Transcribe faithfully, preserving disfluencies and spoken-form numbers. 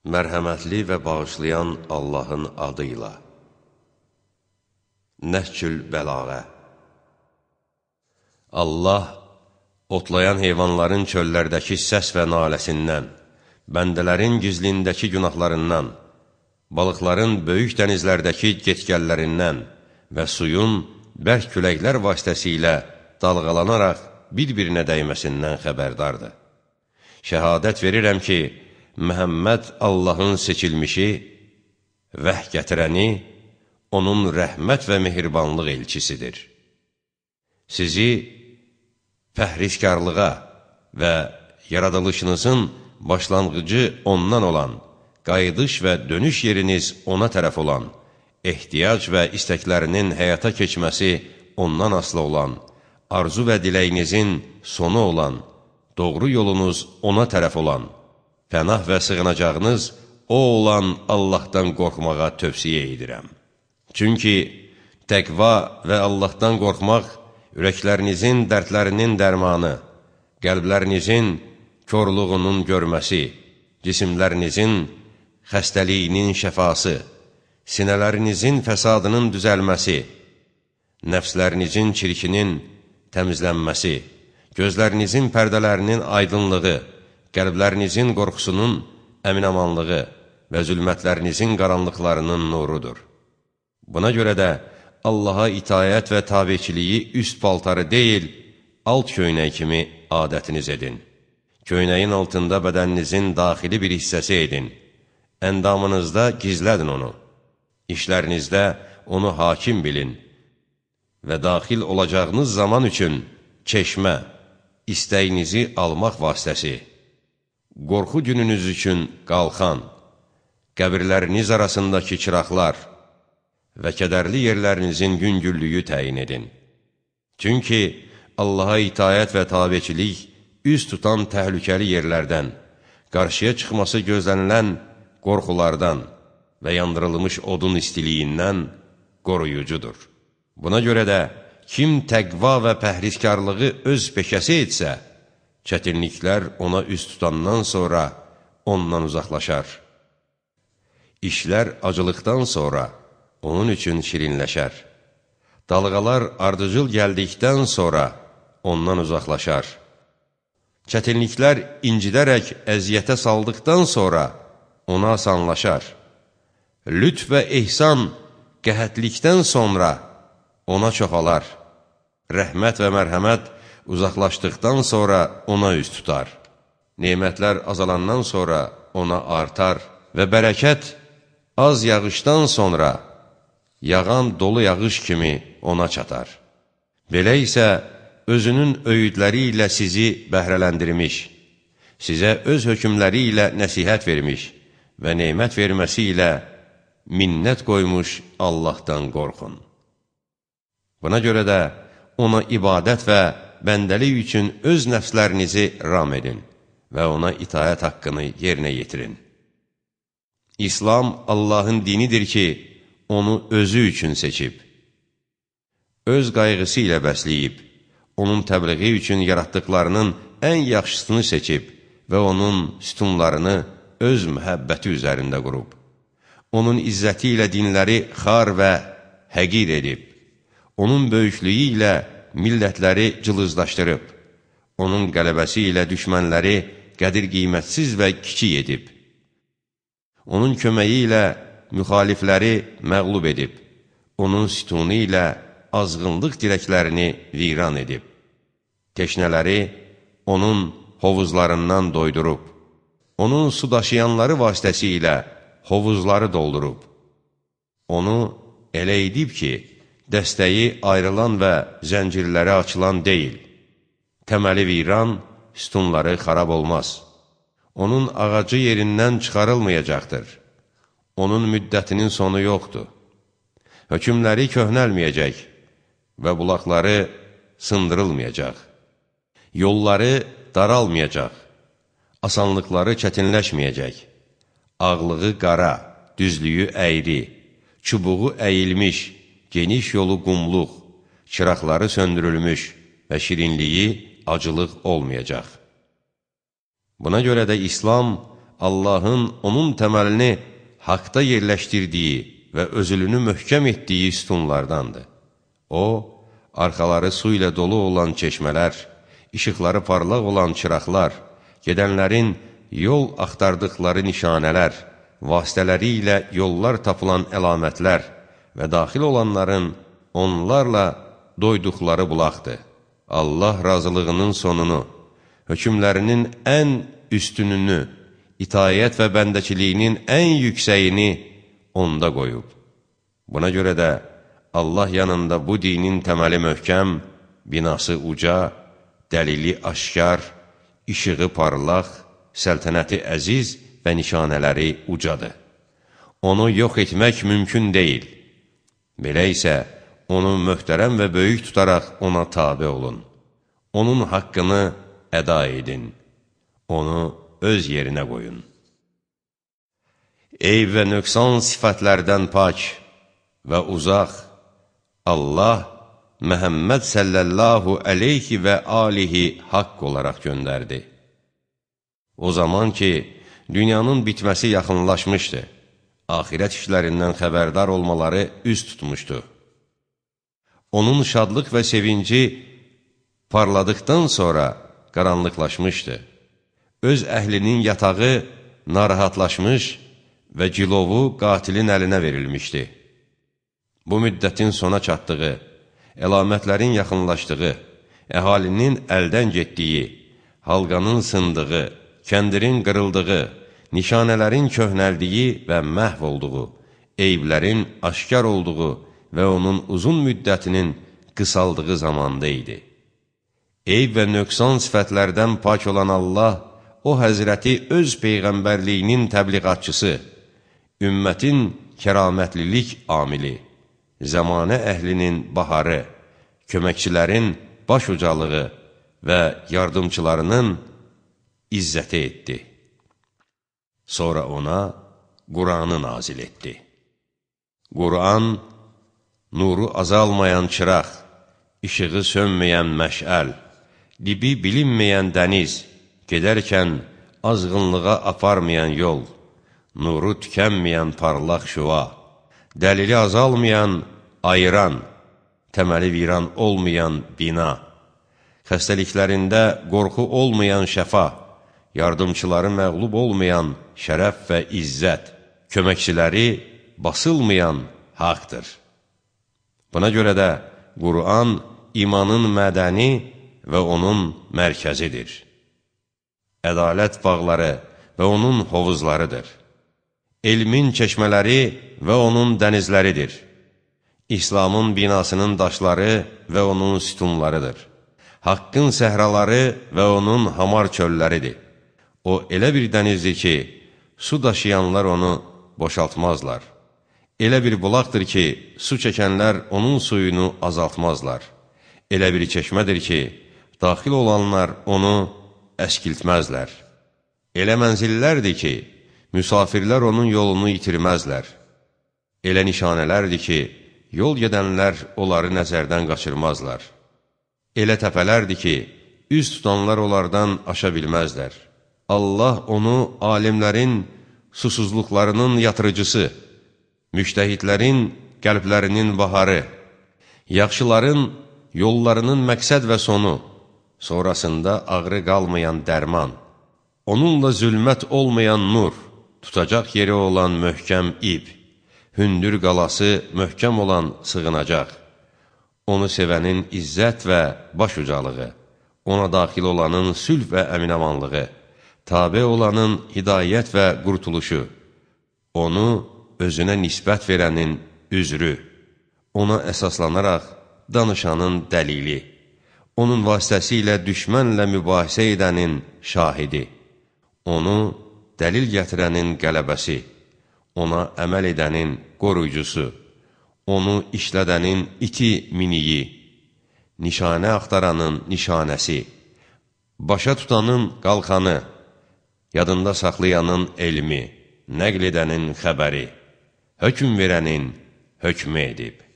Mərhəmətli və bağışlayan Allahın adıyla. Nəhcül Bəlağə. Allah, otlayan heyvanların çöllərdəki səs və naləsindən, bəndələrin gizlindəki günahlarından, balıqların böyük dənizlərdəki getgəllərindən və suyun bərk küləklər vasitəsilə dalğalanaraq bir-birinə dəyməsindən xəbərdardır. Şəhadət verirəm ki, Məhəmməd Allahın seçilmişi, vəh gətirəni, onun rəhmət və mehribanlıq elçisidir. Sizi pəhrizkarlığa və yaradılışınızın başlanğıcı ondan olan, qayıdış və dönüş yeriniz ona tərəf olan, ehtiyac və istəklərinin həyata keçməsi ondan asılı olan, arzu və diləyinizin sonu olan, doğru yolunuz ona tərəf olan, pənah və sığınacağınız o olan Allahdan qorxmağa tövsiyə edirəm. Çünki təqva və Allahdan qorxmaq ürəklərinizin dərdlərinin dərmanı, qəlblərinizin körluğunun görməsi, cisimlərinizin xəstəliyinin şəfası, sinələrinizin fəsadının düzəlməsi, nəfslərinizin çirkinin təmizlənməsi, gözlərinizin pərdələrinin aydınlığı, qəlblərinizin qorxusunun əminamanlığı və zülmətlərinizin qaranlıqlarının nurudur. Buna görə də Allaha itayət və tabiçiliyi üst paltarı deyil, alt köynək kimi adətiniz edin. Köynəyin altında bədəninizin daxili bir hissəsi edin. Əndamınızda gizlədin onu. İşlərinizdə onu hakim bilin və daxil olacağınız zaman üçün çeşmə, istəyinizi almaq vasitəsi, qorxu gününüz üçün qalxan, qəbirləriniz arasındakı çıraqlar və kədərli yerlərinizin yüngüllüyü təyin edin. Çünki Allaha itayət və tabiçilik üz tutan təhlükəli yerlərdən, qarşıya çıxması gözlənilən qorxulardan və yandırılmış odun istiliyindən qoruyucudur. Buna görə də kim təqva və pəhrizkarlığı öz peşəsi etsə, çətinliklər ona üz tutandan sonra ondan uzaqlaşar. İşlər acılıqdan sonra onun üçün şirinləşər. Dalğalar ardıcıl gəldikdən sonra ondan uzaqlaşar. Çətinliklər incidərək əziyyətə saldıqdan sonra ona asanlaşar. Lütf və ehsan qəhətlikdən sonra ona çoxalar. Rəhmət və mərhəmət uzaqlaşdıqdan sonra ona üz tutar. Nemətlər azalandan sonra ona artar və bərəkət az yağışdan sonra yağan dolu yağış kimi ona çatar. Belə isə özünün öyüdləri ilə sizi bəhrələndirmiş, sizə öz hökmləri ilə nəsihət vermiş və nemət verməsi ilə minnət qoymuş Allahdan qorxun. Buna görə də ona ibadət və bəndəlik üçün öz nəfslərinizi ram edin və ona itayət haqqını yerinə yetirin. İslam Allahın dinidir ki, onu özü üçün seçib, öz qayğısı ilə bəsləyib, onun təbliği üçün yaratdıqlarının ən yaxşısını seçib və onun sütunlarını öz məhəbbəti üzərində qurub. Onun izzəti ilə dinləri xar və həqir edib, onun böyüklüyü ilə millətləri cılızlaşdırıb, onun qələbəsi ilə düşmənləri qədir-qiymətsiz və kiçik edib, onun köməyi ilə müxalifləri məğlub edib, onun sütunu ilə azğınlıq dirəklərini viran edib, teşnələri onun hovuzlarından doydurub, onun su daşıyanları vasitəsilə hovuzları doldurub, onu elə edib ki, dəstəyi ayrılan və zəncirləri açılan deyil. Təməli viran, sütunları xarab olmaz. Onun ağacı yerindən çıxarılmayacaqdır. Onun müddətinin sonu yoxdur. Hökmləri köhnəlməyəcək və bulaqları sındırılmayacaq. Yolları daralmayacaq. Asanlıqları çətinləşməyəcək. Ağlığı qara, düzlüyü əyri, çubuğu əyilmiş, geniş yolu qumluq, çıraqları söndürülmüş və şirinliyi acılıq olmayacaq. Buna görə də İslam Allahın onun təməlini haqda yerləşdirdiyi və özülünü möhkəm etdiyi sütunlardandır. O, arxaları su ilə dolu olan çeşmələr, işıqları parlaq olan çıraqlar, gedənlərin yol axtardıqları nişanələr, vasitələri ilə yollar tapılan əlamətlər və daxil olanların onlarla doyduqları bulaqdır. Allah razılığının sonunu, hökmlərinin ən üstününü, itayət və bəndəçiliyinin ən yüksəyini onda qoyub. Buna görə də Allah yanında bu dinin təməli möhkəm, binası uca, dəlili aşkar, işığı parlaq, səltənəti əziz və nişanələri ucadır. Onu yox etmək mümkün deyil. Belə isə, onu möhtərəm və böyük tutaraq ona tabe olun. Onun haqqını əda edin. Onu öz yerinə qoyun. Eyb və nöqsan sifətlərdən pak və uzaq Allah Məhəmməd səllallahu əleyhi və alihi haqq olaraq göndərdi. O zaman ki, dünyanın bitməsi yaxınlaşmışdı, axirət işlərindən xəbərdar olmaları üz tutmuşdu. Onun şadlıq və sevinci parladıqdan sonra qaranlıqlaşmışdı. Öz əhlinin yatağı narahatlaşmış və cilovu qatilin əlinə verilmişdi. Bu müddətin sona çatdığı, əlamətlərin yaxınlaşdığı, əhalinin əldən getdiyi, halqanın sındığı, kəndirin qırıldığı, nişanələrin köhnəldiyi və məhv olduğu, eyblərin aşkar olduğu və onun uzun müddətinin qısaldığı zamanda idi. Eyb və nöqsan sifətlərdən pak olan Allah, o həzrəti öz peyğəmbərliyinin təbliğatçısı, ümmətin kəramətlilik amili, zəmanə əhlinin baharı, köməkçilərin baş ucalığı və yardımçılarının izzəti etdi. Sonra ona Qur'anı nazil etdi. Qur'an, nuru azalmayan çıraq, işığı sönməyən məşəl, dibi bilinməyən dəniz, gedərkən azğınlığa aparmayan yol, nuru tükənməyən parlaq şüva, dəlili azalmayan, ayıran, təməli viran olmayan bina, xəstəliklərində qorxu olmayan şəfa, yardımçıları məğlub olmayan şərəf və izzət, köməkçiləri basılmayan haqdır. Buna görə də Qur'an imanın mədəni və onun mərkəzidir. Ədalət bağları və onun hovuzlarıdır. Elmin çeşmələri və onun dənizləridir. İslamın binasının daşları və onun sütunlarıdır. Haqqın səhraları və onun hamar çölləridir. O elə bir dənizdir ki, su daşıyanlar onu boşaltmazlar. Elə bir bulaqdır ki, su çəkənlər onun suyunu azaltmazlar. Elə bir çeşmədir ki, daxil olanlar onu əskiltməzlər. Elə mənzillərdir ki, müsafirlər onun yolunu itirməzlər. Elə nişanələrdir ki, yol gedənlər onları nəzərdən qaçırmazlar. Elə təpələrdir ki, üz tutanlar onlardan aşa bilməzlər. Allah onu alimlərin susuzluqlarının yatırıcısı, müştəhidlərin qəlblərinin baharı, yaxşıların yollarının məqsəd və sonu, sonrasında ağrı qalmayan dərman, onunla zülmət olmayan nur, tutacaq yeri olan möhkəm ip, hündür qalası möhkəm olan sığınacaq, onu sevənin izzət və baş ucalığı, ona daxil olanın sülh və əminamanlığı, tabe olanın hidayət və qurtuluşu, onu özünə nisbət verənin üzrü, ona əsaslanaraq danışanın dəlili, onun vasitəsilə düşmənlə mübahisə edənin şahidi, onu dəlil gətirənin qələbəsi, ona əməl edənin qoruyucusu, onu işlədənin iti miniyi, nişanə axtaranın nişanəsi, başa tutanın qalxanı, yadında saxlayanın elmi, nəql edənin xəbəri, hökm verənin hökmü edib.